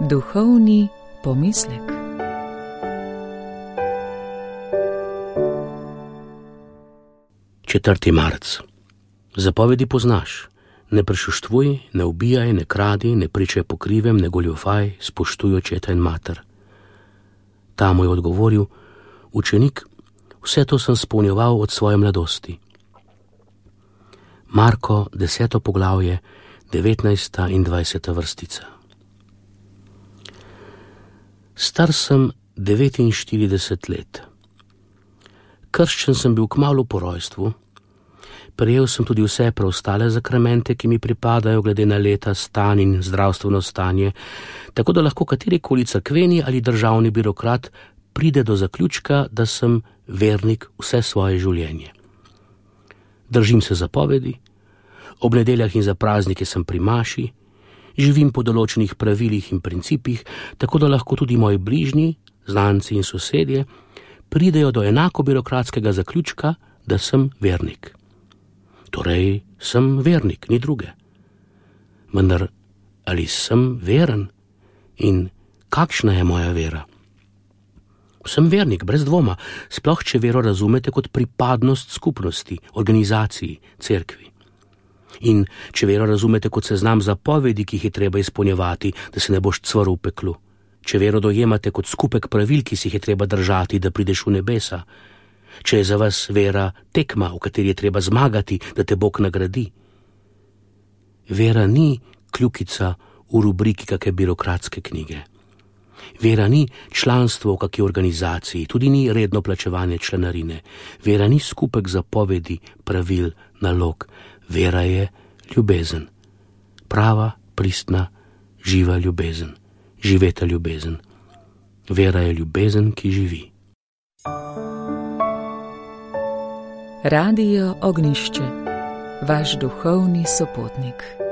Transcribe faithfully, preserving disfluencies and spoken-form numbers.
Duhovni pomislek. četrti marec. Zapovedi poznaš. Ne prešuštvuj, ne ubijaj, ne kradi, ne pričaj po krivem, ne goljufaj, spoštuj očeta in mater. Ta mu je odgovoril: učenik, vse to sem spolnjeval od svoje mladosti. Marko, deseto poglavje, devetnajsta in dvajseta vrstica. Star sem devetinštirideset let. Krščen sem bil kmalu po rojstvu. Prejel sem tudi vse preostale zakramente, ki mi pripadajo glede na leta, stan in zdravstveno stanje, tako da lahko katerikoli cerkveni ali državni birokrat pride do zaključka, da sem vernik vse svoje življenje. Držim se zapovedi, ob nedeljah in za praznike sem pri maši, živim po določenih pravilih in principih, tako da lahko tudi moji bližnji, znanci in sosedje pridejo do enako birokratskega zaključka, da sem vernik. Torej, sem vernik, ni druge. Vendar, ali sem veren in kakšna je moja vera? Sem vernik, brez dvoma, sploh če vero razumete kot pripadnost skupnosti, organizaciji, cerkvi. In če vero razumete kot seznam zapovedi, ki jih je treba izpolnjevati, da se ne boš cvrl v peklu. Če vero dojemate kot skupek pravil, ki si jih je treba držati, da prideš v nebesa. Če je za vas vera tekma, v kateri je treba zmagati, da te Bog nagradi. Vera ni kljukica v rubriki kakšne birokratske knjige. Vera ni članstvo v kakšni organizaciji, tudi ni redno plačevanje članarine. Vera ni skupek zapovedi, pravil, nalog. Vera je ljubezen. Prava, pristna, živa ljubezen. Živeta ljubezen. Vera je ljubezen, ki živi. Radio Ognjišče, vaš duhovni sopotnik.